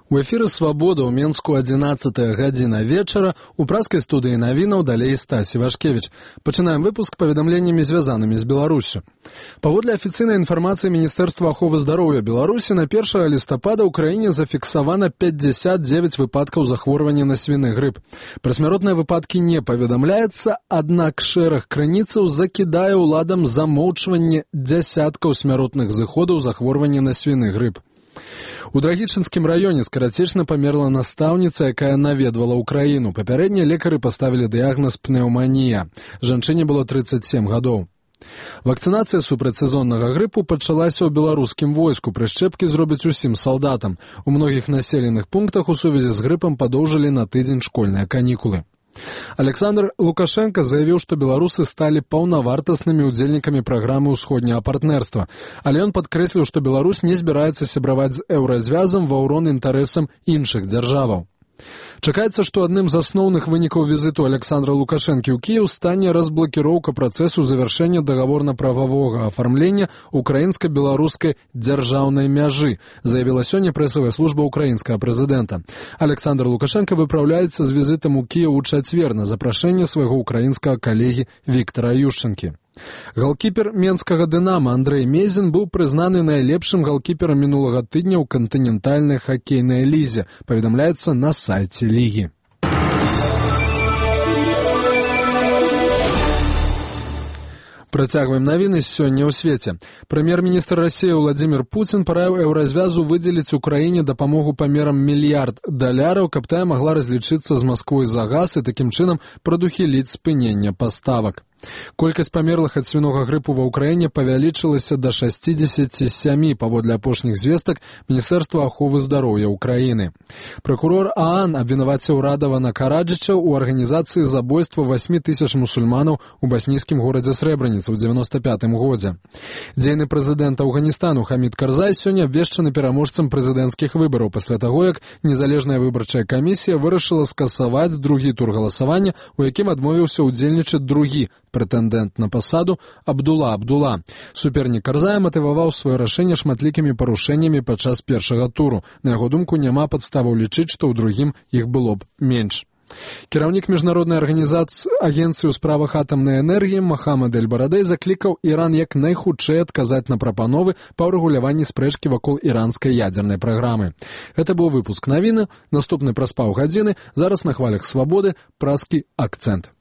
У эфіры «Свабода» ў Менску 11 гадзіна вечара. У праскай студыі навінаў далей Стасі Вашкевіч. Пачынаем выпуск паведамленнямі, звязанымі з Беларуссю. Паводле афіцыйнай інфармацыі Міністэрства аховы здароўя Беларусі на 1 лістапада ў краіне зафіксавана 59 выпадкаў захворвання на свіны грып. Пра смяротныя выпадкі не паведамляецца, аднак шэраг крыніцаў закідае ўладам замоўчванне дзясяткаў смяротных зыходаў захворвання на свіны грып. У Драгічынскім раёне скарацечна памерла настаўніца, якая наведвала ўкраіну. Папярэдне лекары паставілі дыягназ пнеўманія. Жанчыне было 37 гадоў. Вакцынацыя супраць сезоннага грыпу пачалася ў беларускім войску. Прышчэпкі зробяць усім салдатам. У многіх населеных пунктах у сувязі з грыпам падоўжылі на тыдзень школьныя канікулы. Александр Лукашенко заявіў, што беларусы сталі паўнавартаснымі ўдзельнікамі праграмы ўсходняга партнерства, але ён падкрэсліў, што Беларусь не збіраецца сябраваць з еўразвязам ва ўрон інтарэсам іншых дзяржаваў. Чакаецца, што адным з асноўных вынікаў візіту Александра Лукашэнкі ў Кіеў стане разблакіроўка працэсу завяршэння дагаворна-прававога афармлення украінска-беларускай дзяржаўнай мяжы, заявіла сёння прэсавая служба ўкраінскага прэзідэнта. Александр Лукашенко выпраўляецца з візітам у Кіеў у чацвер на запрашэнне свайго ўкраінскага калегі Віктара Ющэнкі. Галкіпер менскага «Дынама» Андрэй Мезін быў прызнаны найлепшым галкіперам мінулага тыдня ў кантынентальнай хакейнай лізе, паведамляецца на сайце лігі. Працягваем навіны сёння ў свеце. Прэм'ер-міністр Расіі Владзімір Пуцін параіў еўразвязу выдзеліць Украіне дапамогу памерам $1 мільярд, каб тая магла разлічыцца з Масквой за газ і такім чынам прадухіліць спынення паставак. Колькасць памерлых ад свінога грыпу ва ўкраіне павялічылася да 67 паводле апошніх звестак Міністэрства аховы здароўя ўкраіны. Пракурор ААН абвінаваціў Радавана Караджыча ў арганізацыі забойства 8 тысяч мусульманаў у баснійскім горадзе Срэбраніца ў 95 годзе. Дзейны прэзідэнт Афганістану Хамід Карзай сёння абвешчаны пераможцам прэзідэнцкіх выбараў пасля таго, як незалежная выбарчая камісія вырашыла скасаваць другі тур галасавання, у якім адмовіўся ўдзельнічаць другі прэтэндэнт на пасаду Абдула. Супернік Карзая матываваў сваё рашэнне шматлікімі парушэннямі падчас першага туру. На яго думку, няма падставаў лічыць, што ў другім іх было б менш. Кіраўнік міжнароднай арганізацыі агенцыі ў справах атамнай энергіі Мохаммед Эль-Барадэй заклікаў Іран як найхутчэй адказаць на прапановы па ўрэгуляванні спрэчкі вакол іранскай ядзернай праграмы. Гэта быў выпуск навіны, наступны праз паўгадзіны, зараз на хвалях свабоды, праскі акцэнт.